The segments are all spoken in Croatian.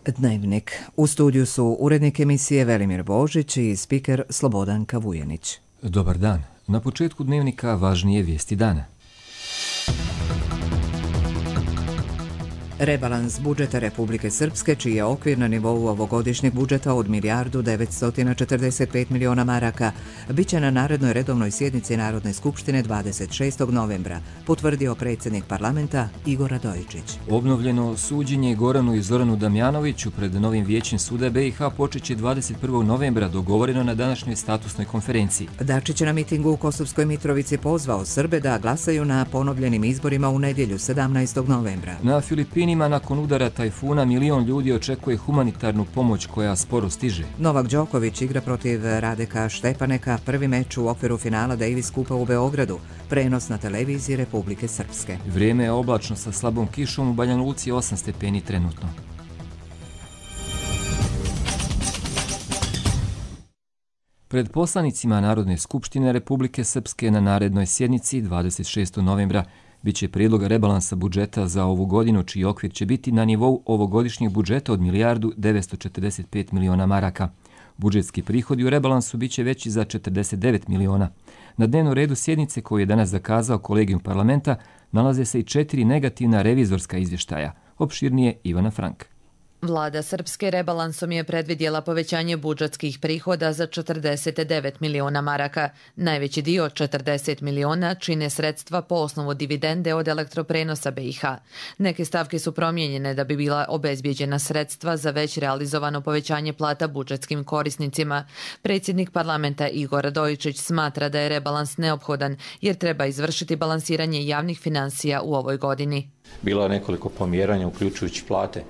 Dnevnik. U studiju su urednik emisije Velimir Božić i spiker Slobodanka Vujanić. Dobar dan. Na početku Dnevnika važnije vijesti dana. Rebalans budžeta Republike Srpske, čiji je okvir na nivou ovogodišnjeg budžeta od 1.945 miliona maraka, bit će na narednoj redovnoj sjednici Narodne skupštine 26. novembra, potvrdio predsjednik parlamenta Igor Radojičić. Obnovljeno suđenje Goranu i Zoranu Damjanoviću pred novim vijećem suda BiH počeće 21. novembra, dogovoreno na današnjoj statusnoj konferenciji. Dačić je na mitingu u Kosovskoj Mitrovici pozvao Srbe da glasaju na ponovljenim izborima u nedjelju 17. novembra. Na Filipinima nakon udara tajfuna milion ljudi očekuje humanitarnu pomoć koja sporo stiže. Novak Đoković igra protiv Radeka Štepaneka, prvi meč u okviru finala Davis Kupa u Beogradu, prenos na televiziji Republike Srpske. Vrijeme je oblačno sa slabom kišom, u Banja Luci 8 stepeni trenutno. Pred poslanicima Narodne skupštine Republike Srpske na narednoj sjednici 26. novembra biće prijedlog rebalansa budžeta za ovu godinu, čiji okvir će biti na nivou ovogodišnjeg budžeta od 1.945 miliona maraka. Budžetski prihodi u rebalansu biće veći za 49 miliona. Na dnevnom redu sjednice koju je danas zakazao kolegijum parlamenta nalaze se i 4 negativna revizorska izvještaja. Opširnije Ivana Frank. Vlada Srpske rebalansom je predvidjela povećanje budžetskih prihoda za 49 miliona maraka. Najveći dio, 40 miliona, čine sredstva po osnovu dividende od elektroprenosa BiH. Neke stavke su promijenjene da bi bila obezbijeđena sredstva za već realizovano povećanje plata budžetskim korisnicima. Predsjednik parlamenta Igor Radojičić smatra da je rebalans neophodan jer treba izvršiti balansiranje javnih financija u ovoj godini. Bilo je nekoliko pomjeranja uključujući plate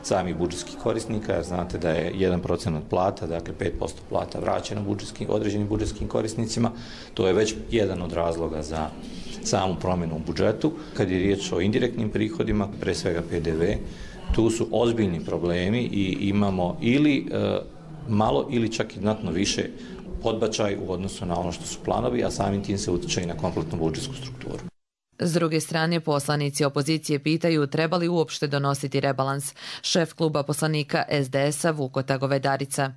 samih budžetskih korisnika. Znate da je 1% od plata, dakle 5% plata vraćeno određenim budžetskim korisnicima. To je već jedan od razloga za samu promjenu u budžetu. Kad je riječ o indirektnim prihodima, pre svega PDV, tu su ozbiljni problemi i imamo ili malo ili čak i znatno više podbačaj u odnosu na ono što su planovi, a samim tim se utječe i na kompletnu budžetsku strukturu. S druge strane, poslanici opozicije pitaju treba li uopšte donositi rebalans. Šef kluba poslanika SDS-a Vukota Govedarica.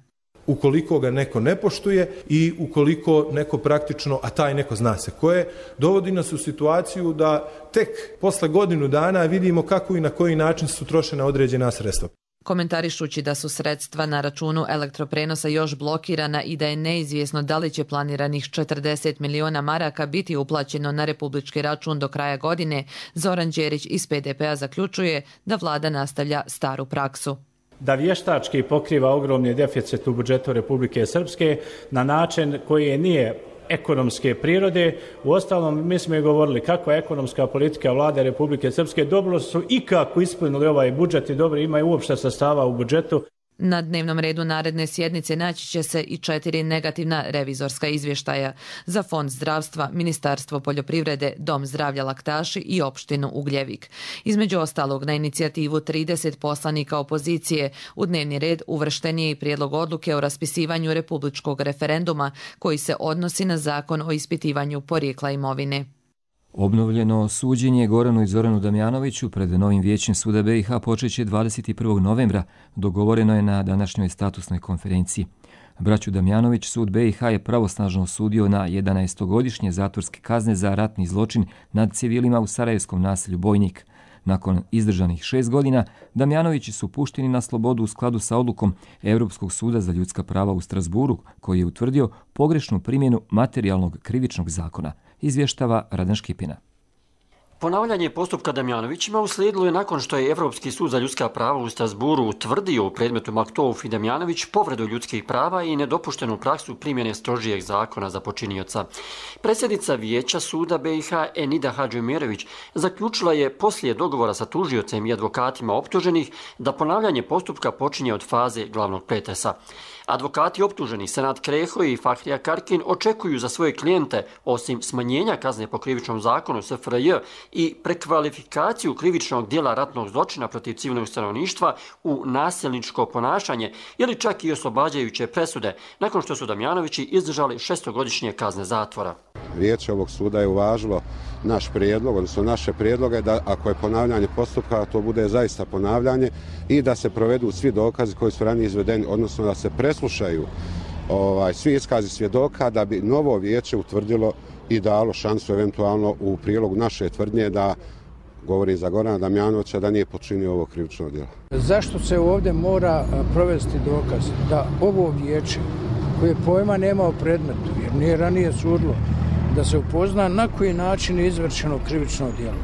Ukoliko ga neko ne poštuje i ukoliko neko praktično, a taj neko zna se ko je, dovodi nas u situaciju da tek posle godinu dana vidimo kako i na koji način su trošena određena sredstva. Komentarišući da su sredstva na računu elektroprenosa još blokirana i da je neizvjesno da li će planiranih 40 miliona maraka biti uplaćeno na republički račun do kraja godine, Zoran Đerić iz PDP-a zaključuje da vlada nastavlja staru praksu. Da vještački pokriva ogromni deficit u budžetu Republike Srpske na način koji nije ekonomske prirode. Uostalom, mi smo i govorili kakva je ekonomska politika vlade Republike Srpske. Dobro su i kako ispunili ovaj budžet i dobro imaju uopšte sastava u budžetu. Na dnevnom redu naredne sjednice naći će se i 4 negativna revizorska izvještaja za Fond zdravstva, Ministarstvo poljoprivrede, Dom zdravlja Laktaši i opštinu Ugljevik. Između ostalog, na inicijativu 30 poslanika opozicije u dnevni red uvršten je i prijedlog odluke o raspisivanju republičkog referenduma koji se odnosi na zakon o ispitivanju porijekla imovine. Obnovljeno suđenje Goranu i Zoranu Damjanoviću pred novim vijećem suda BiH počeće 21. novembra, dogovoreno je na današnjoj statusnoj konferenciji. Braću Damjanović sud BiH je pravosnažno osudio na 11-godišnje zatvorske kazne za ratni zločin nad civilima u sarajevskom naselju Bojnik. Nakon izdržanih 6 godina, Damjanovići su pušteni na slobodu u skladu sa odlukom Europskog suda za ljudska prava u Strasburu, koji je utvrdio pogrešnu primjenu materijalnog krivičnog zakona, izvještava Radan Škipina. Ponavljanje postupka Damjanovićima uslijedilo je nakon što je Europski sud za ljudska prava u Strasburu utvrdio u predmetu Maktouf i Damjanović povredu ljudskih prava i nedopuštenu praksu primjene strožijeg zakona za počinioca. Predsjednica vijeća suda BiH Enida Hadžiomirović zaključila je poslije dogovora sa tužiocem i advokatima optuženih da ponavljanje postupka počinje od faze glavnog pretresa. Advokati optuženih Senad Kreho i Fahrija Karkin očekuju za svoje klijente, osim smanjenja kazne po krivičnom zakonu SFRJ i prekvalifikaciju krivičnog dijela ratnog zločina protiv civilnog stanovništva u nasilničko ponašanje ili čak i oslobađajuće presude, nakon što su Damjanovići izdržali 6-godišnje kazne zatvora. vijeće ovog suda je uvažilo naš prijedlog, odnosno naše prijedloge da ako je ponavljanje postupka, to bude zaista ponavljanje i da se provedu svi dokazi koji su ranije izvedeni, odnosno da se preslušaju svi iskazi svjedoka da bi novo vijeće utvrdilo i dalo šansu eventualno u prilogu naše tvrdnje da, govorim za Gorana Damjanovića, da nije počinio ovo krivično djelo. Zašto se ovdje mora provesti dokaz da ovo vijeće koje pojma nema o predmetu, jer nije ranije sudilo, da se upozna na koji način je izvršeno krivično djelo.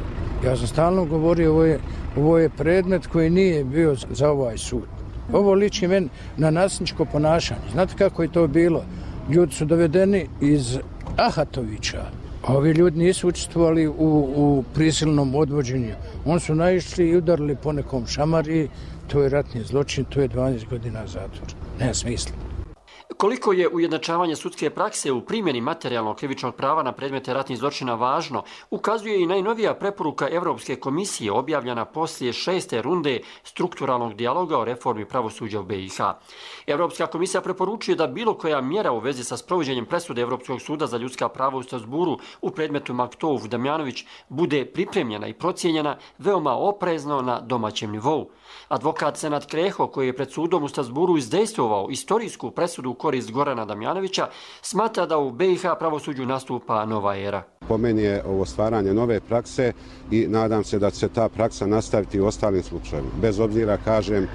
Ja sam stalno govorio, ovo je predmet koji nije bio za ovaj sud. Ovo liči meni na nasilničko ponašanje. Znate kako je to bilo? Ljudi su dovedeni iz Ahatovića, a ovi ljudi nisu učestvovali u prisilnom odvođenju. Oni su naišli i udarili po nekom šamari, to je ratni zločin, to je 12 godina zatvora. Nema smisla. Koliko je ujednačavanje sudske prakse u primjeni materijalnog krivičnog prava na predmete ratnih zločina važno, ukazuje i najnovija preporuka Evropske komisije objavljena poslije 6. runde strukturalnog dijaloga o reformi pravosuđa u BiH. Evropska komisija preporučuje da bilo koja mjera u vezi sa sprovođenjem presude Evropskog suda za ljudska prava u Strasburu u predmetu Maktov Damjanović bude pripremljena i procijenjena veoma oprezno na domaćem nivou. Advokat Senad Kreho, koji je pred sudom u Strasburu izdejstvovao istorijsku presudu u korist Gorana Damjanovića, smatra da u BiH pravosuđu nastupa nova era. Po meni je ovo stvaranje nove prakse i nadam se da će ta praksa nastaviti u ostalim slučajevima. Bez obzira, kažem,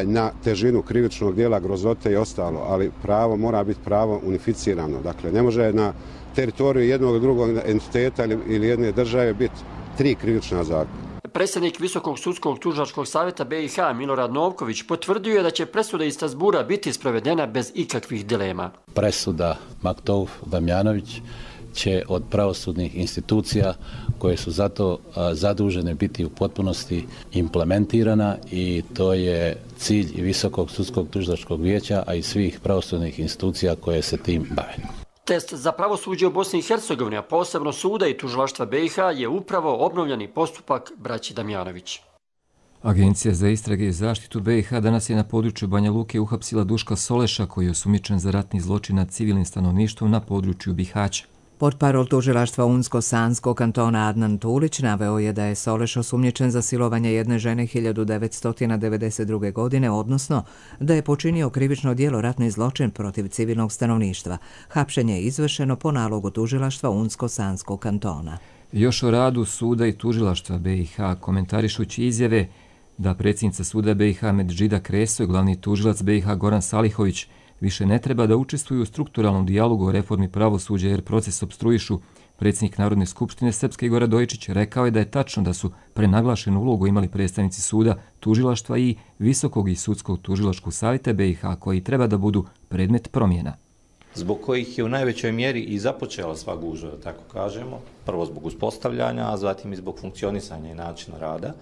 na težinu krivičnog djela, grozote i ostalo, ali pravo mora biti pravo unificirano. Dakle, ne može na teritoriju jednog drugog entiteta ili jedne države biti 3 krivična zakona. Predsjednik Visokog sudskog tužilačkog savjeta BiH Milorad Novković potvrdio je da će presuda iz Strasbura biti sprovedena bez ikakvih dilema. Presuda Maktov Damjanović će od pravosudnih institucija koje su zato zadužene biti u potpunosti implementirana i to je cilj i Visokog sudskog tužilačkog vijeća, a i svih pravosudnih institucija koje se tim bave. Test za pravosuđe u Bosni i Hercegovini, a posebno suda i tužilaštva BiH, je upravo obnovljeni postupak braći Damjanović. Agencija za istrage i zaštitu BiH danas je na području Banja Luke uhapsila Duška Soleša, koji je osumnjičen za ratni zločin nad civilnim stanovništvom na području Bihaća. Portparol tužilaštva Unsko-Sanskog kantona Adnan Tulić naveo je da je Soleš osumnjičen za silovanje jedne žene 1992. godine, odnosno da je počinio krivično djelo ratni zločin protiv civilnog stanovništva. Hapšenje je izvršeno po nalogu tužilaštva Unsko-Sanskog kantona. Još o radu suda i tužilaštva BiH komentarišući izjave da predsjednica suda BiH Medžida Kreso i glavni tužilac BiH Goran Salihović više ne treba da učestvuju u strukturalnom dijalogu o reformi pravosuđa jer proces opstruišu, predsjednik Narodne skupštine Srpske Igor Radojičić rekao je da je tačno da su prenaglašenu ulogu imali predstavnici suda, tužilaštva i Visokog i sudskog tužilačkog savjeta BiH koji treba da budu predmet promjena. Zbog kojih je u najvećoj mjeri i započela sva gužva, da tako kažemo, prvo zbog uspostavljanja, a zatim i zbog funkcionisanja i načina rada,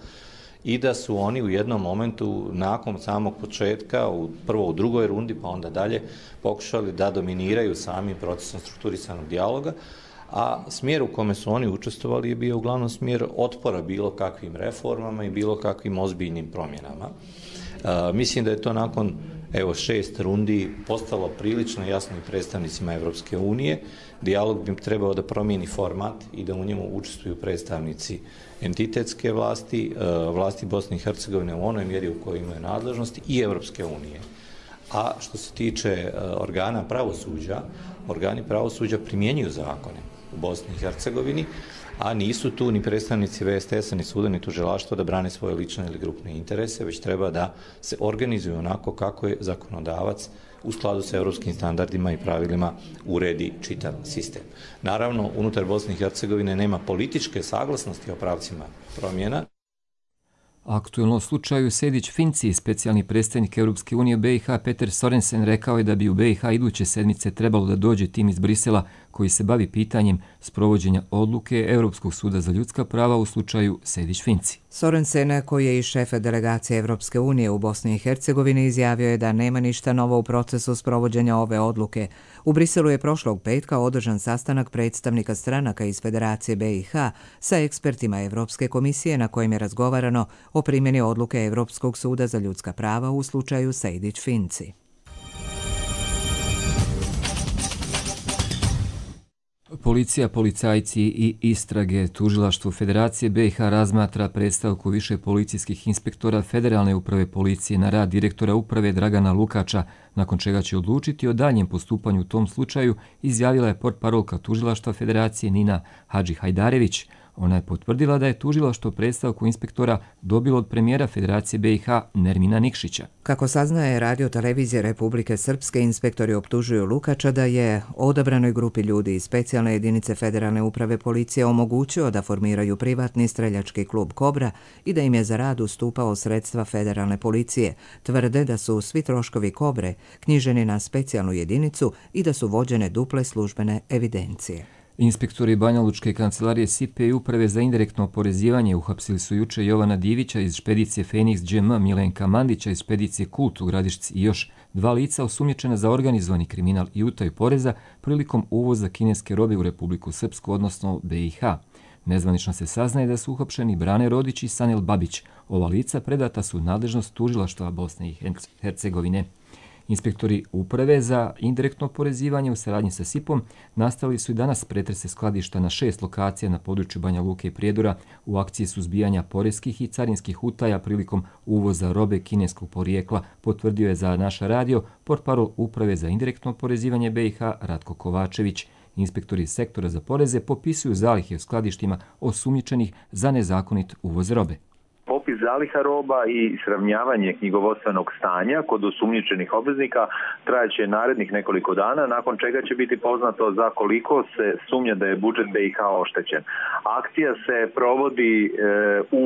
i da su oni u jednom momentu nakon samog početka, prvo u drugoj rundi pa onda dalje, pokušali da dominiraju samim procesom strukturisanog dijaloga, a smjer u kome su oni učestvovali je bio uglavnom smjer otpora bilo kakvim reformama i bilo kakvim ozbiljnim promjenama. Mislim da je to nakon 6 rundi postalo prilično jasno i predstavnicima Evropske unije. Dijalog bi trebao da promijeni format i da u njemu učestvuju predstavnici entitetske vlasti, vlasti Bosne i Hercegovine u onoj mjeri u kojoj imaju nadležnosti i Evropske unije. A što se tiče organi pravosuđa primjenjuju zakone u Bosni i Hercegovini, a nisu tu ni predstavnici VSTS-a, ni suda, ni tužilaštva da brane svoje lične ili grupne interese, već treba da se organizuju onako kako je zakonodavac u skladu sa europskim standardima i pravilima uredi čitav sistem. Naravno, unutar Bosne i Hercegovine nema političke saglasnosti o pravcima promjena. Aktuelno u slučaju Sejdić-Finci, specijalni predstavnik Europske unije BiH Peter Sorensen rekao je da bi u BiH iduće sedmice trebalo da dođe tim iz Brisela koji se bavi pitanjem sprovođenja odluke Europskog suda za ljudska prava u slučaju Sejdić-Finci. Sorensen, koji je i šef delegacije Evropske unije u Bosni i Hercegovini, izjavio je da nema ništa novo u procesu sprovođenja ove odluke. U Briselu je prošlog petka održan sastanak predstavnika stranaka iz Federacije BiH sa ekspertima Evropske komisije na kojem je razgovarano o primjeni odluke Europskog suda za ljudska prava u slučaju Sejdić-Finci. Policija, policajci i istrage. Tužilaštvo Federacije BiH razmatra predstavku više policijskih inspektora Federalne uprave policije na rad direktora uprave Dragana Lukača, nakon čega će odlučiti o daljem postupanju u tom slučaju, izjavila je portparolka Tužilaštva Federacije Nina Hadži-Hajdarević. Ona je potvrdila da je tužilaštvo predstavku inspektora dobilo od premijera Federacije BiH Nermina Nikšića. Kako saznaje Radio televizije Republike Srpske, inspektori optužuju Lukača da je odabranoj grupi ljudi iz specijalne jedinice Federalne uprave policije omogućio da formiraju privatni streljački klub Kobra i da im je za rad ustupao sredstva Federalne policije. Tvrde da su svi troškovi Kobre knjiženi na specijalnu jedinicu i da su vođene duple službene evidencije. Inspektori Banjalučke kancelarije SIPE i uprave za indirektno oporezivanje uhapsili su juče Jovana Divića iz špedicije Fenix GM, Milenka Mandića iz špedicije Kult u Gradišci i još 2 lica osumnjičena za organizovani kriminal i utaju poreza prilikom uvoza kineske robe u Republiku Srpsku, odnosno BiH. Nezvanično se saznaje da su uhapšeni Brane Rodić i Sanel Babić. Ova lica predata su u nadležnost tužilaštva Bosne i Hercegovine. Inspektori uprave za indirektno oporezivanje u saradnji sa SIP-om nastavili su i danas pretrese skladišta na 6 lokacija na području Banja Luke i Prijedora u akciji suzbijanja poreskih i carinskih utaja prilikom uvoza robe kineskog porijekla, potvrdio je za naš radio portparol uprave za indirektno oporezivanje BiH Ratko Kovačević. Inspektori sektora za poreze popisuju zalihe u skladištima osumnjičenih za nezakonit uvoz robe. Popis zaliha roba i sravnjavanje knjigovodstvenog stanja kod osumnjičenih obveznika trajaće narednih nekoliko dana, nakon čega će biti poznato za koliko se sumnja da je budžet BiH oštećen. Akcija se provodi u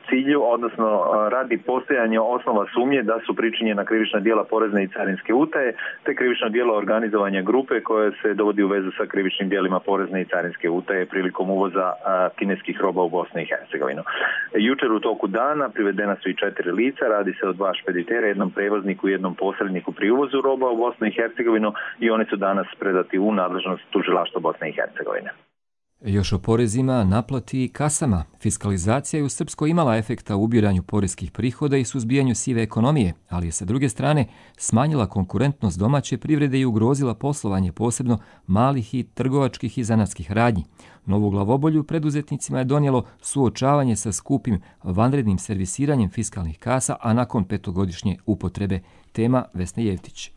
cilju, odnosno radi postojanja osnova sumnje da su pričinjena krivična djela porezne i carinske utaje, te krivično djelo organizovanja grupe koje se dovodi u vezu sa krivičnim djelima porezne i carinske utaje prilikom uvoza kineskih roba u Bosnu i Hercegovinu. Jučer u toku dana privedena su i 4 lica, radi se o 2 špeditera, jednom prevozniku i jednom posredniku pri uvozu roba u Bosnu i Hercegovinu i oni su danas predati u nadležnost tužilaštva Bosne i Hercegovine. Još o porezima, naplati i kasama. Fiskalizacija je u Srpskoj imala efekta u ubiranju poreskih prihoda i suzbijanju sive ekonomije, ali je sa druge strane smanjila konkurentnost domaće privrede i ugrozila poslovanje posebno malih i trgovačkih i zanatskih radnji. Novu glavobolju preduzetnicima je donijelo suočavanje sa skupim vanrednim servisiranjem fiskalnih kasa, a nakon 5-godišnje upotrebe. Tema Vesna Jevtić.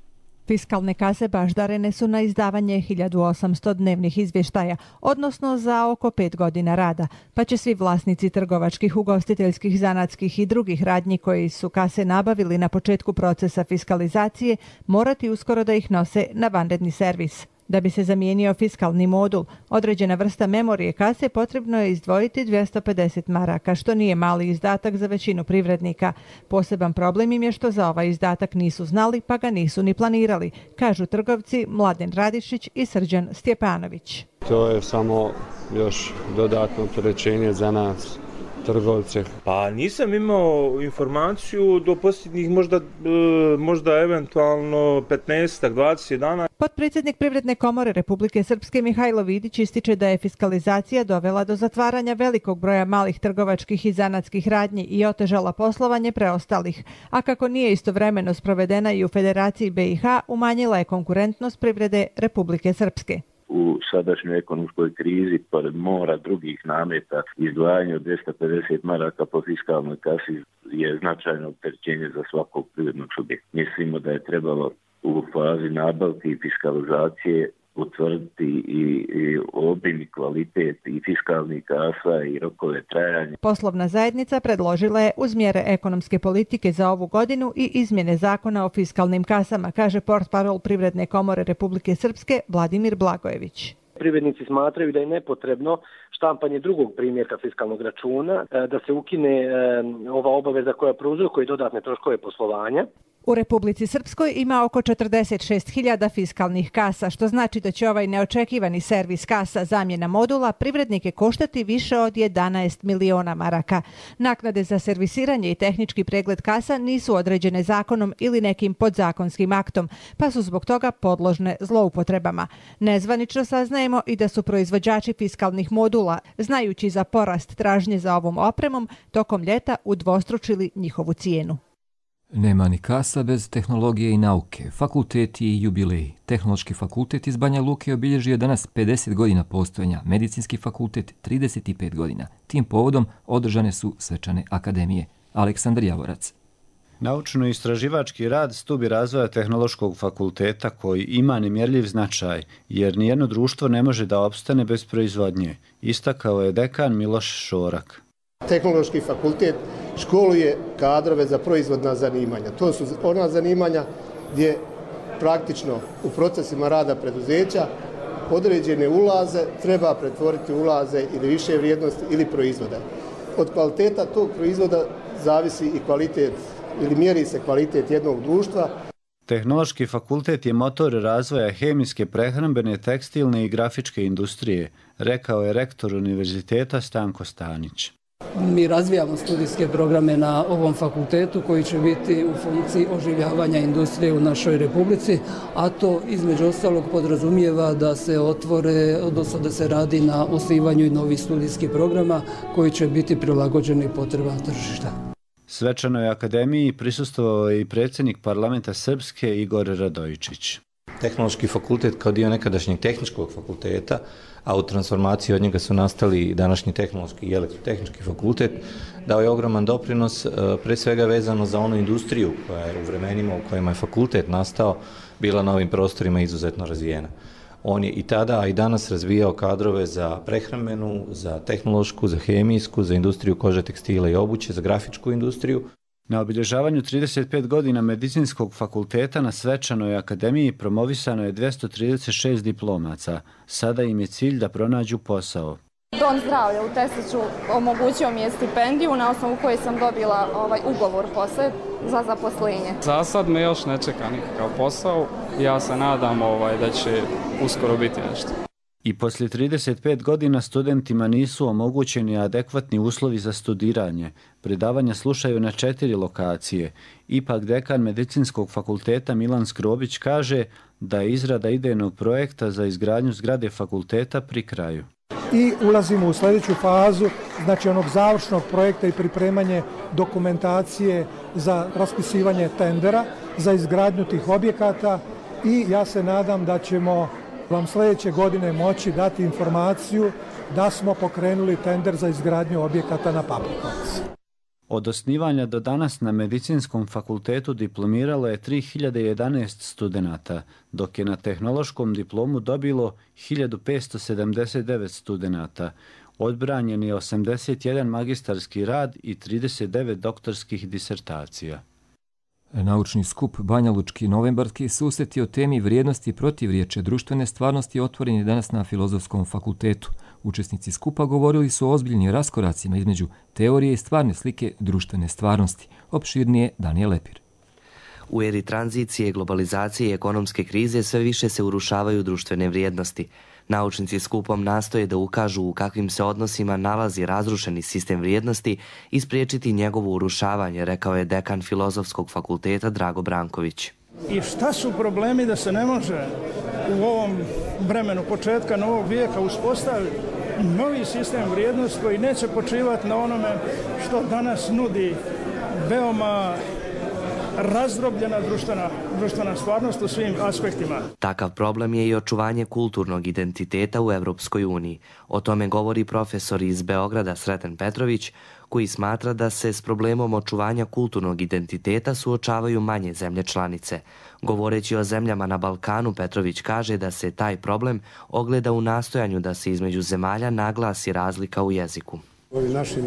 Fiskalne kase baždarene su na izdavanje 1800 dnevnih izvještaja, odnosno za oko 5 godina rada, pa će svi vlasnici trgovačkih, ugostiteljskih, zanatskih i drugih radnji koji su kase nabavili na početku procesa fiskalizacije morati uskoro da ih nose na vanredni servis. Da bi se zamijenio fiskalni modul, određena vrsta memorije kase potrebno je izdvojiti 250 maraka, što nije mali izdatak za većinu privrednika. Poseban problem im je što za ovaj izdatak nisu znali, pa ga nisu ni planirali, kažu trgovci Mladen Radišić i Srđan Stjepanović. To je samo još dodatno opterećenje za nas trgovce. Pa nisam imao informaciju do posljednjih možda eventualno 15-20 dana. Potpredsjednik Privredne komore Republike Srpske Mihajlo Vidić ističe da je fiskalizacija dovela do zatvaranja velikog broja malih trgovačkih i zanatskih radnji i otežala poslovanje preostalih, a kako nije istovremeno sprovedena i u Federaciji BiH, umanjila je konkurentnost privrede Republike Srpske. U sadašnjoj ekonomskoj krizi, pored mora drugih nameta, izdvajanje od 250 maraka po fiskalnoj kasi je značajno opterećenje za svakog privrednog subjekta. Mislimo da je trebalo u fazi nabavke i fiskalizacije utvrditi i obim i kvalitet i fiskalnih kasa i rokove trajanja. Poslovna zajednica predložila je uz mjere ekonomske politike za ovu godinu i izmjene zakona o fiskalnim kasama, kaže portparol Privredne komore Republike Srpske Vladimir Blagojević. Privrednici smatraju da je nepotrebno štampanje drugog primjerka fiskalnog računa, da se ukine ova obaveza koja prouzrokuje dodatne troškove poslovanja. U Republici Srpskoj ima oko 46.000 fiskalnih kasa, što znači da će ovaj neočekivani servis kasa zamjena modula privrednike koštati više od 11 miliona maraka. Naknade za servisiranje i tehnički pregled kasa nisu određene zakonom ili nekim podzakonskim aktom, pa su zbog toga podložne zloupotrebama. Nezvanično saznajemo i da su proizvođači fiskalnih modula, znajući za porast tražnje za ovom opremom, tokom ljeta udvostručili njihovu cijenu. Nema ni kasa bez tehnologije i nauke, fakulteti i jubileji. Tehnološki fakultet iz Banja Luke obilježio danas 50 godina postojanja, medicinski fakultet 35 godina. Tim povodom održane su svečane akademije. Aleksandar Javorac. Naučno-istraživački rad stubi razvoja Tehnološkog fakulteta koji ima nemjerljiv značaj, jer nijedno društvo ne može da opstane bez proizvodnje, istakao je dekan Miloš Šorak. Tehnološki fakultet školuje kadrove za proizvodna zanimanja. To su ona zanimanja gdje praktično u procesima rada preduzeća određene ulaze treba pretvoriti ulaze ili više vrijednosti ili proizvoda. Od kvaliteta tog proizvoda zavisi i kvalitet ili mjeri se kvalitet jednog društva. Tehnološki fakultet je motor razvoja hemijske, prehrambene, tekstilne i grafičke industrije, rekao je rektor univerziteta Stanko Stanić. Mi razvijamo studijske programe na ovom fakultetu koji će biti u funkciji oživljavanja industrije u našoj republici, a to između ostalog podrazumijeva da se otvore, odnosno da se radi na osnivanju i novih studijskih programa koji će biti prilagođeni potrebama tržišta. Svečanoj akademiji prisustvovao je i predsjednik parlamenta Srpske Igor Radojičić. Tehnološki fakultet kao dio nekadašnjeg tehničkog fakulteta, a u transformaciji od njega su nastali današnji tehnološki i elektrotehnički fakultet, dao je ogroman doprinos, pre svega vezano za onu industriju koja je u vremenima u kojima je fakultet nastao bila na ovim prostorima izuzetno razvijena. On je i tada, a i danas razvijao kadrove za prehrambenu, za tehnološku, za hemijsku, za industriju kože, tekstila i obuće, za grafičku industriju. Na obilježavanju 35 godina medicinskog fakulteta na svečanoj akademiji promovisano je 236 diplomaca. Sada im je cilj da pronađu posao. Dom zdravlja u Tesliću omogućio mi je stipendiju na osnovu koje sam dobila ugovor posle za zaposlenje. Za sad me još ne čeka nikakav posao. Ja se nadam da će uskoro biti nešto. I poslije 35 godina studentima nisu omogućeni adekvatni uslovi za studiranje. Predavanja slušaju na 4 lokacije. Ipak dekan medicinskog fakulteta Milan Skrobić kaže da je izrada idejnog projekta za izgradnju zgrade fakulteta pri kraju. I ulazimo u sljedeću fazu, znači onog završnog projekta i pripremanje dokumentacije za raspisivanje tendera, za izgradnju tih objekata i ja se nadam da ćemo vam sljedeće godine moći dati informaciju da smo pokrenuli tender za izgradnju objekata na Paprikovci. Od osnivanja do danas na medicinskom fakultetu diplomiralo je 3011 studenata, dok je na tehnološkom diplomu dobilo 1579 studenata. Odbranjen je 81 magistarski rad i 39 doktorskih disertacija. Naučni skup Banja Lučki novembarski susret o temi vrijednosti i protivriječe društvene stvarnosti otvoren je danas na Filozofskom fakultetu. Učesnici skupa govorili su o ozbiljnim raskoracima između teorije i stvarne slike društvene stvarnosti. Opširnije Danijel Lepir. U eri tranzicije, globalizacije i ekonomske krize sve više se urušavaju društvene vrijednosti. Naučnici skupom nastoje da ukažu u kakvim se odnosima nalazi razrušeni sistem vrijednosti i spriječiti njegovo urušavanje, rekao je dekan Filozofskog fakulteta Drago Branković. I šta su problemi da se ne može u ovom vremenu početka novog vijeka uspostaviti novi sistem vrijednosti koji neće počivati na onome što danas nudi veoma razdrobljena društvena stvarnost u svim aspektima. Takav problem je i očuvanje kulturnog identiteta u Europskoj uniji. O tome govori profesor iz Beograda Sreten Petrović, koji smatra da se s problemom očuvanja kulturnog identiteta suočavaju manje zemlje članice. Govoreći o zemljama na Balkanu, Petrović kaže da se taj problem ogleda u nastojanju da se između zemalja naglasi razlika u jeziku. U ovim našim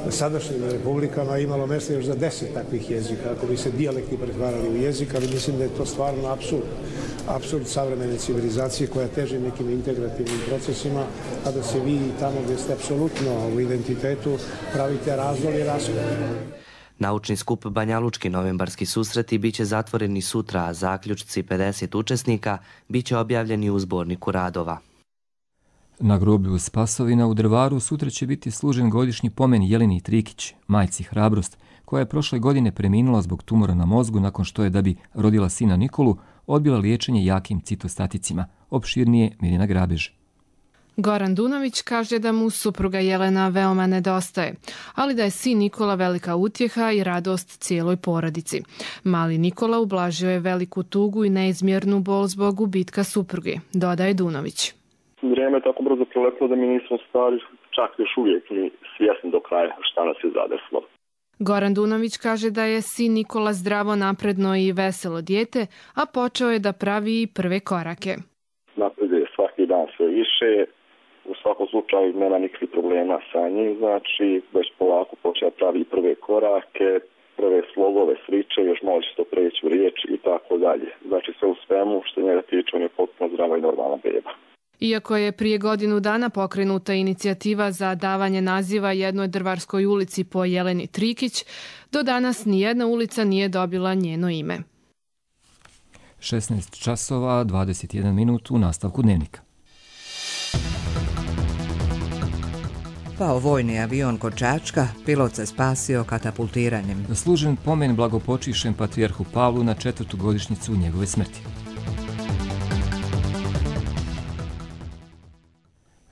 sadašnjim republikama imalo mjesta još za 10 takvih jezika, ako bi se dijalekti pretvarali u jezik, ali mislim da je to stvarno apsurd savremene civilizacije koja teži nekim integrativnim procesima, a da se vi tamo gdje ste apsolutno u identitetu pravite razdor i raskol. Naučni skup Banja Lučki novembarski susreti bit će zatvoreni sutra, a zaključci 50 učesnika bit će objavljeni u zborniku radova. Na groblju Spasovina u Drvaru sutra će biti služen godišnji pomen Jeleni Trikić, majci Hrabrost, koja je prošle godine preminula zbog tumora na mozgu nakon što je, da bi rodila sina Nikolu, odbila liječenje jakim citostaticima. Opširnije Mirjana Grabež. Goran Dunović kaže da mu supruga Jelena veoma nedostaje, ali da je sin Nikola velika utjeha i radost cijeloj porodici. Mali Nikola ublažio je veliku tugu i neizmjernu bol zbog gubitka supruge, dodaje Dunović. Vrijeme je tako brzo proletilo da mi nismo stari čak još uvijek ni svjesni do kraja šta nas je zadesilo. Goran Dunović kaže da je sin Nikola zdravo, napredno i veselo dijete, a počeo je da pravi i prve korake. Napreduje svaki dan sve više, u svakom slučaju nema nikakvih problema sa njim, znači već polako počeo pravi prve korake, prve slogove sriče, još može se to preći u riječ i tako dalje. Znači sve u svemu što njega tiče, on je potpuno zdrava i normalna beba. Iako je prije godinu dana pokrenuta inicijativa za davanje naziva jednoj Drvarskoj ulici po Jeleni Trikić, do danas nijedna ulica nije dobila njeno ime. 16 časova, 21 minut u nastavku dnevnika. Pao vojni avion kod Čačka, pilot se spasio katapultiranjem. Zaslužen pomen blagopočivšem patrijarhu Pavlu na 4. godišnjicu njegove smrti.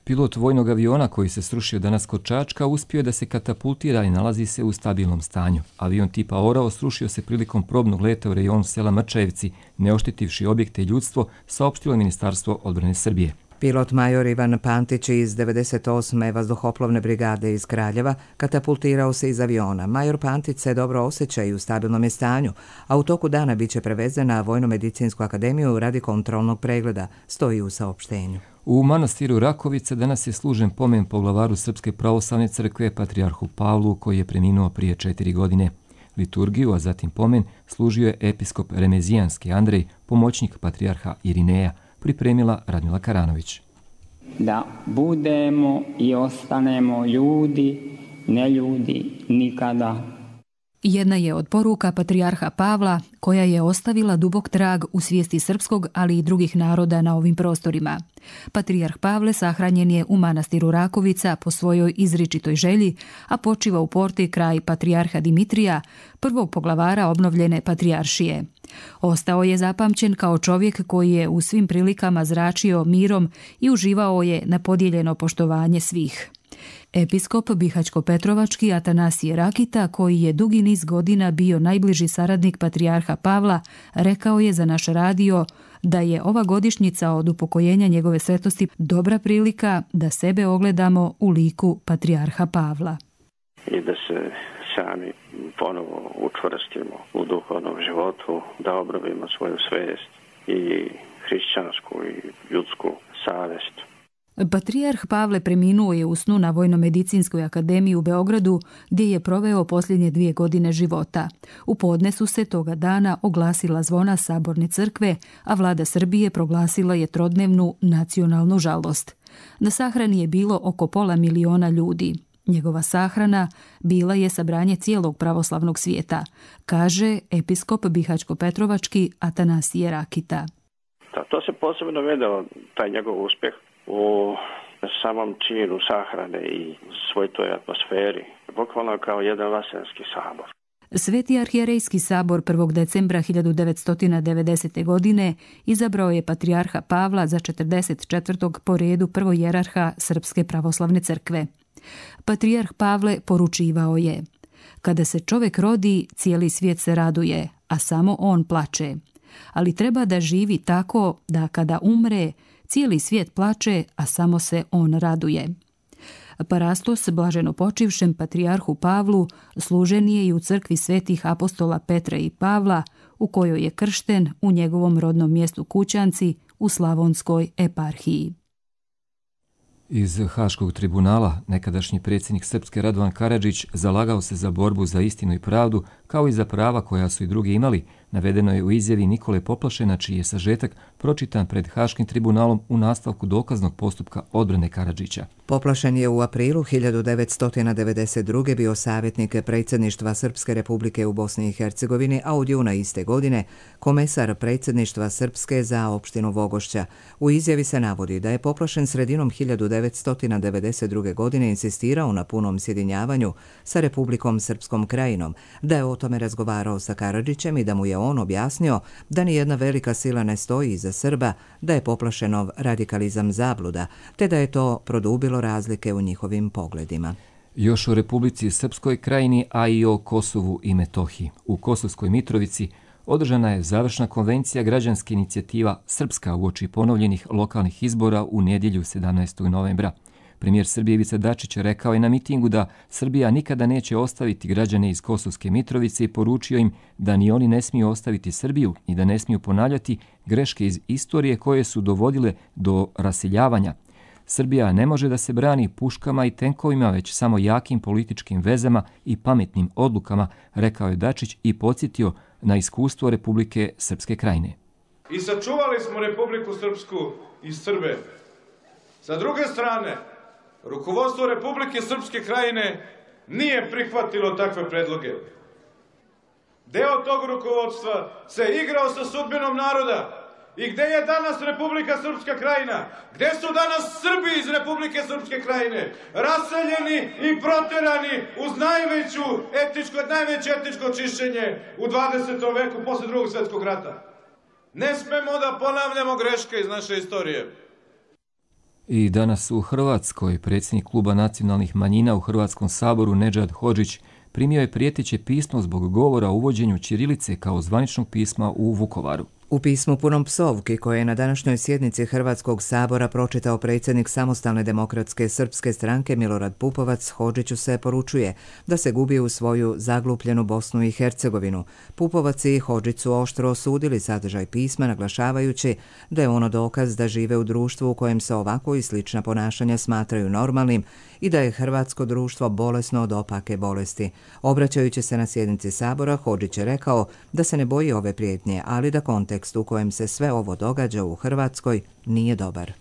Pilot vojnog aviona koji se srušio danas kod Čačka uspio je da se katapultira i nalazi se u stabilnom stanju. Avion tipa Orao srušio se prilikom probnog leta u rejonu sela Mrčajevci, ne oštetivši objekte i ljudstvo, saopštilo Ministarstvo odbrane Srbije. Pilot major Ivan Pantić iz 98. vazduhoplovne brigade iz Kraljeva katapultirao se iz aviona. Major Pantić se dobro osjeća i u stabilnom je stanju, a u toku dana biće prevezen na Vojno-medicinsku akademiju radi kontrolnog pregleda, stoji u saopštenju. U manastiru Rakovica danas je služen pomen poglavaru Srpske pravoslavne crkve patrijarhu Pavlu koji je preminuo prije 4 godine. Liturgiju, a zatim pomen, služio je episkop Remezijanski Andrej, pomoćnik patrijarha Irineja, pripremila Radmila Karanović. Da budemo i ostanemo ljudi, ne ljudi nikada. Jedna je od poruka patrijarha Pavla koja je ostavila dubok trag u svijesti srpskog, ali i drugih naroda na ovim prostorima. Patrijarh Pavle sahranjen je u manastiru Rakovica po svojoj izričitoj želji, a počiva u Porti kraj patrijarha Dimitrija, prvog poglavara obnovljene patrijaršije. Ostao je zapamćen kao čovjek koji je u svim prilikama zračio mirom i uživao je na podijeljeno poštovanje svih. Episkop Bihaćko-Petrovački Atanasije Rakita, koji je dugi niz godina bio najbliži saradnik patrijarha Pavla, rekao je za naš radio da je ova godišnjica od upokojenja njegove svetosti dobra prilika da sebe ogledamo u liku patrijarha Pavla. I da se sami ponovo učvrstimo u duhovnom životu, da obnovimo svoju svijest i hrišćansku i ljudsku savjest. Patrijarh Pavle preminuo je u snu na Vojno-medicinskoj akademiji u Beogradu, gdje je proveo posljednje 2 godine života. U podne su se toga dana oglasila zvona Saborne crkve, a vlada Srbije proglasila je trodnevnu nacionalnu žalost. Na sahrani je bilo oko 500 000 ljudi. Njegova sahrana bila je sabranje cijelog pravoslavnog svijeta, kaže episkop Bihaćko-Petrovački Atanasije Rakita. To se posebno vedao, taj njegov uspjeh, u samom činu sahrane i svoj toj atmosferi, bukvalno kao jedan vaselski sabor. Sveti arhijerejski sabor 1. decembra 1990. godine izabrao je patrijarha Pavla za 44. po redu prvojerarha Srpske pravoslavne crkve. Patrijarh Pavle poručivao je: kada se čovjek rodi, cijeli svijet se raduje, a samo on plače. Ali treba da živi tako da kada umre, cijeli svijet plače, a samo se on raduje. Parastos blaženo počivšem patrijarhu Pavlu služen je i u crkvi svetih apostola Petra i Pavla, u kojoj je kršten u njegovom rodnom mjestu Kućanci u Slavonskoj eparhiji. Iz Haškog tribunala nekadašnji predsjednik Srpske Radovan Karadžić zalagao se za borbu za istinu i pravdu, kao i za prava koja su i drugi imali, navedeno je u izjavi Nikole Poplašena, čiji je sažetak pročitan pred Haškim tribunalom u nastavku dokaznog postupka odbrane Karadžića. Poplašen je u aprilu 1992. bio savjetnik predsjedništva Srpske republike u Bosni i Hercegovini, a od juna iste godine komesar predsjedništva Srpske za opštinu Vogošća. U izjavi se navodi da je Poplašen sredinom 1992. 1992. godine insistirao na punom sjedinjavanju sa Republikom Srpskom krajinom, da je o tome razgovarao sa Karadžićem i da mu je on objasnio da nijedna velika sila ne stoji iza Srba, da je poplašenov radikalizam zabluda, te da je to produbilo razlike u njihovim pogledima. Još o Republici Srpskoj krajini, a i o Kosovu i Metohiji. U Kosovskoj Mitrovici održana je završna konvencija građanske inicijativa Srpska uoči ponovljenih lokalnih izbora u nedjelju 17. novembra. Premijer Srbije Ivica Dačić rekao je na mitingu da Srbija nikada neće ostaviti građane iz Kosovske Mitrovice i poručio im da ni oni ne smiju ostaviti Srbiju i da ne smiju ponavljati greške iz istorije koje su dovodile do raseljavanja. Srbija ne može da se brani puškama i tenkovima, već samo jakim političkim vezama i pametnim odlukama, rekao je Dačić i podsjetio na iskustvo Republike Srpske krajine. I sačuvali smo Republiku Srpsku i Srbe. Sa druge strane, rukovodstvo Republike Srpske krajine nije prihvatilo takve predloge. Deo tog rukovodstva se igrao sa sudbinom naroda. I gde je danas Republika Srpska krajina? Gde su danas Srbi iz Republike Srpske krajine? Raseljeni i proterani uz najveće etničko čišćenje u 20. veku posle drugog svjetskog rata. Ne smemo da ponavljamo greške iz naše istorije. I danas u Hrvatskoj predsjednik Kluba nacionalnih manjina u Hrvatskom saboru Nedžad Hodžić primio je prijeteće pismo zbog govora o uvođenju ćirilice kao zvaničnog pisma u Vukovaru. U pismu punom psovki koje je na današnjoj sjednici Hrvatskog sabora pročitao predsjednik Samostalne demokratske srpske stranke Milorad Pupovac, Hodžiću se poručuje da se gubi u svoju zaglupljenu Bosnu i Hercegovinu. Pupovac i Hodžić su oštro osudili sadržaj pisma, naglašavajući da je ono dokaz da žive u društvu u kojem se ovako i slična ponašanja smatraju normalnim i da je hrvatsko društvo bolesno od opake bolesti. Obraćajući se na sjednici sabora, Hodžić je rekao da se ne boji ove prijetnje, ali da kontekst u kojem se sve ovo događa u Hrvatskoj nije dobar.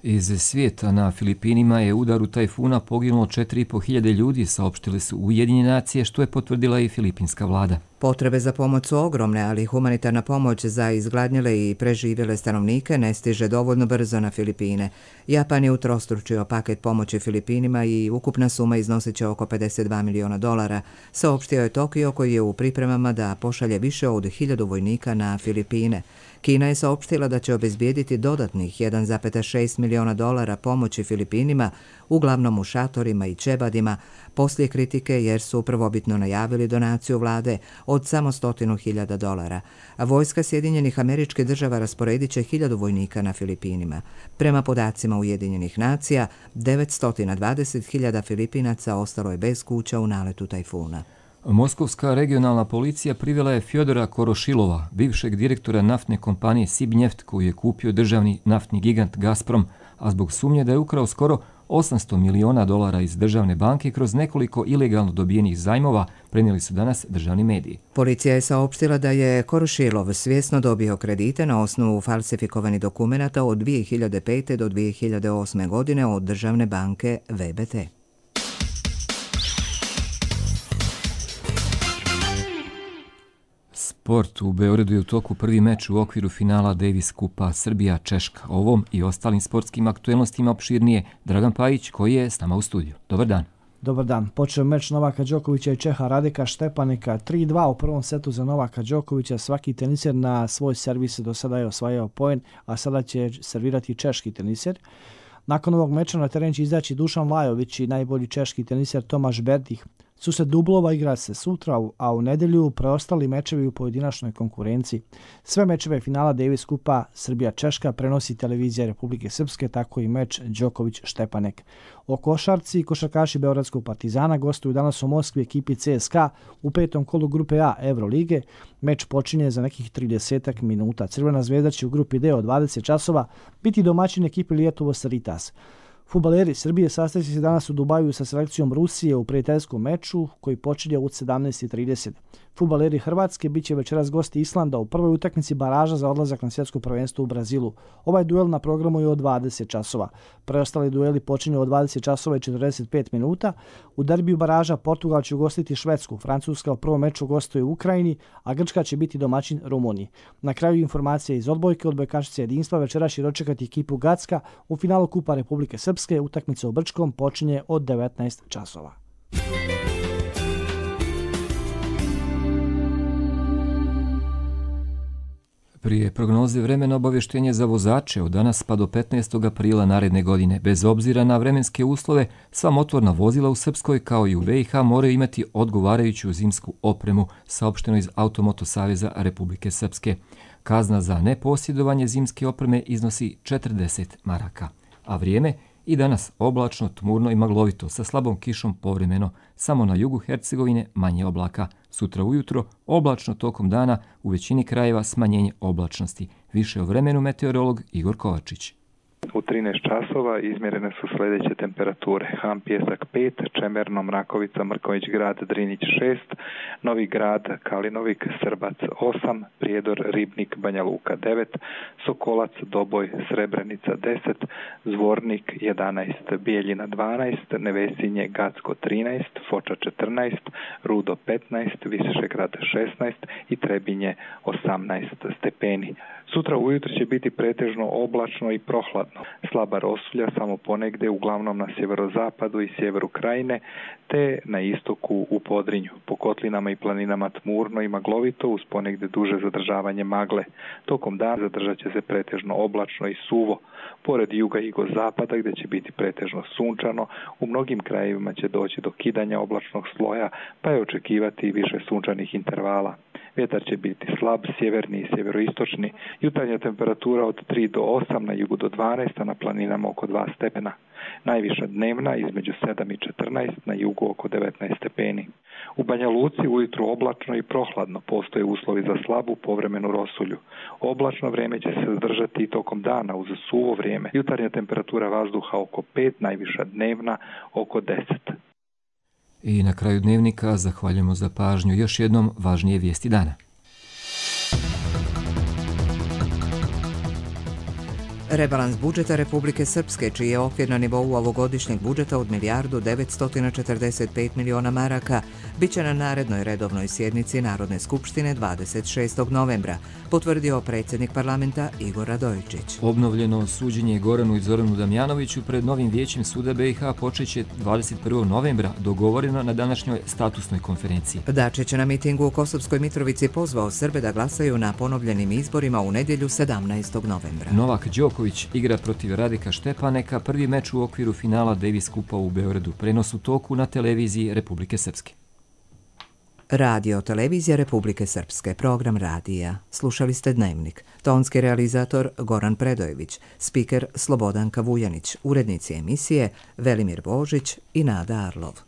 Iz svijeta na Filipinima je udaru tajfuna poginulo 4.500 ljudi, saopštile su Ujedinjene nacije, što je potvrdila i filipinska vlada. Potrebe za pomoć su ogromne, ali humanitarna pomoć za izgladnjele i preživjele stanovnike ne stiže dovoljno brzo na Filipine. Japan je utrostručio paket pomoći Filipinima i ukupna suma iznosit će oko $52 miliona, saopštio je Tokio koji je u pripremama da pošalje više od 1000 vojnika na Filipine. Kina je saopštila da će obezbijediti dodatnih $1,6 miliona pomoći Filipinima, uglavnom u šatorima i čebadima, poslije kritike jer su prvobitno najavili donaciju vlade od samo $100.000. A vojska Sjedinjenih Američkih Država rasporedit će 1000 vojnika na Filipinima. Prema podacima Ujedinjenih nacija, 920.000 Filipinaca ostalo je bez kuća u naletu tajfuna. Moskovska regionalna policija privela je Fjodora Korošilova, bivšeg direktora naftne kompanije Sibnjeft, koju je kupio državni naftni gigant Gazprom, a zbog sumnje da je ukrao skoro $800 miliona iz državne banke kroz nekoliko ilegalno dobijenih zajmova, prenijeli su danas državni mediji. Policija je saopštila da je Korošilov svjesno dobio kredite na osnovu falsifikovanih dokumenata od 2005. do 2008. godine od državne banke VBT. Sport. U Beogradu je u toku prvi meč u okviru finala Davis Kupa Srbija-Češka. Ovom i ostalim sportskim aktuelnostima opširnije Dragan Pajić koji je s nama u studiju. Dobar dan. Dobar dan. Počeo meč Novaka Đokovića i Čeha Radeka Štepanika 3-2 u prvom setu za Novaka Đokovića. Svaki teniser na svoj servis do sada je osvajao poen, a sada će servirati češki teniser. Nakon ovog meča na teren će izaći Dušan Lajović i najbolji češki teniser Tomaš Berdih. Susret dublova igra se sutra, a u nedjelju preostali mečevi u pojedinačnoj konkurenciji. Sve mečeve finala Davis Kupa Srbija-Češka prenosi televizija Republike Srpske, tako i meč Đoković-Štepanek. O košarci košarkaši Beogradskog Partizana gostuju danas u Moskvi ekipi CSKA u 5. kolu grupe A Evrolige. Meč počinje za nekih 30 minuta. Crvena zvezda će u grupi D od 20 časova biti domaćin ekipi Lijetovo Saritas. Fudbaleri Srbije sastaće se danas u Dubaju sa selekcijom Rusije u prijateljskom meču koji počinje od 17:30. Fudbaleri Hrvatske biće večeras gosti Islanda u prvoj utakmici baraža za odlazak na svjetsko prvenstvo u Brazilu. Ovaj duel na programu je od 20 časova. Preostali dueli počinju od 20 časova i 45 minuta. U derbiju baraža Portugal će ugostiti Švedsku, Francuska u prvom meču gostuje u Ukrajini, a Grčka će biti domaćin Rumuniji. Na kraju informacije iz odbojke, odbojkašice jedinstva večeras će dočekati ekipu Gacka u finalu Kupa Republike Srpske Srpske. Utakmica u Brčkom počinje od 19 časova. Prije prognoze vremena obavještenje za vozače od danas pa do 15. aprila naredne godine. Bez obzira na vremenske uslove, sva motorna vozila u Srpskoj kao i u BiH moraju imati odgovarajuću zimsku opremu, saopšteno iz Automoto saveza Republike Srpske. Kazna za neposjedovanje zimske opreme iznosi 40 maraka. A vrijeme i danas oblačno, tmurno i maglovito sa slabom kišom povremeno, samo na jugu Hercegovine manje oblaka. Sutra ujutro oblačno tokom dana, u većini krajeva smanjenje oblačnosti. Više o vremenu meteorolog Igor Kovačić. U 13 časova izmjerene su sljedeće temperature. Han Pjesak 5, Čemerno, Mrakovica, Mrković grad, Drinić 6, Novi grad, Kalinovik, Srbac 8, Prijedor, Ribnik, Banja Luka 9, Sokolac, Doboj, Srebrenica 10, Zvornik 11, Bijeljina 12, Nevesinje, Gacko 13, Foča 14, Rudo 15, Višegrad 16 i Trebinje 18 stepeni. Sutra ujutro će biti pretežno oblačno i prohladno. Slaba rosulja samo ponegde, uglavnom na sjeverozapadu i sjeveru krajine, te na istoku u Podrinju. Po kotlinama i planinama tmurno i maglovito uz ponegde duže zadržavanje magle. Tokom dana zadržat će se pretežno oblačno i suvo. Pored juga i jugozapada gdje će biti pretežno sunčano, u mnogim krajevima će doći do kidanja oblačnog sloja, pa je očekivati više sunčanih intervala. Vjetar će biti slab, sjeverni i sjeveroistočni. Jutarnja temperatura od 3 do 8, na jugu do 12, a na planinama oko 2 stepena. Najviša dnevna između 7 i 14, na jugu oko 19 stepeni. U Banja Luci ujutru oblačno i prohladno, postoje uslovi za slabu povremenu rosulju. Oblačno vrijeme će se zadržati i tokom dana uz suvo vrijeme. Jutarnja temperatura vazduha oko 5, najviša dnevna oko 10. I na kraju dnevnika zahvaljujemo za pažnju. Još jednom važnije vijesti dana. Rebalans budžeta Republike Srpske, čiji je okvir na nivou ovogodišnjeg budžeta od milijardu 945 miliona maraka, bit će na narednoj redovnoj sjednici Narodne skupštine 26. novembra, potvrdio predsjednik parlamenta Igor Radojičić. Obnovljeno suđenje Goranu i Zoranu Damjanoviću pred novim vijećem suda BiH počeće 21. novembra, dogovoreno na današnjoj statusnoj konferenciji. Dačić na mitingu u Kosovskoj Mitrovici pozvao Srbe da glasaju na ponovljenim izborima u nedjelju 17. novembra. Novak Đoković igra protiv Radika Štepaneka, prvi meč u okviru finala Davis Kupa u Beogradu. Prenos u toku na televiziji Republike Srpske. Radio televizija Republike Srpske, program radija. Slušali ste Dnevnik. Tonski realizator Goran Predojević, spiker Slobodanka Vujanić, urednici emisije Velimir Božić i Nada Arlov.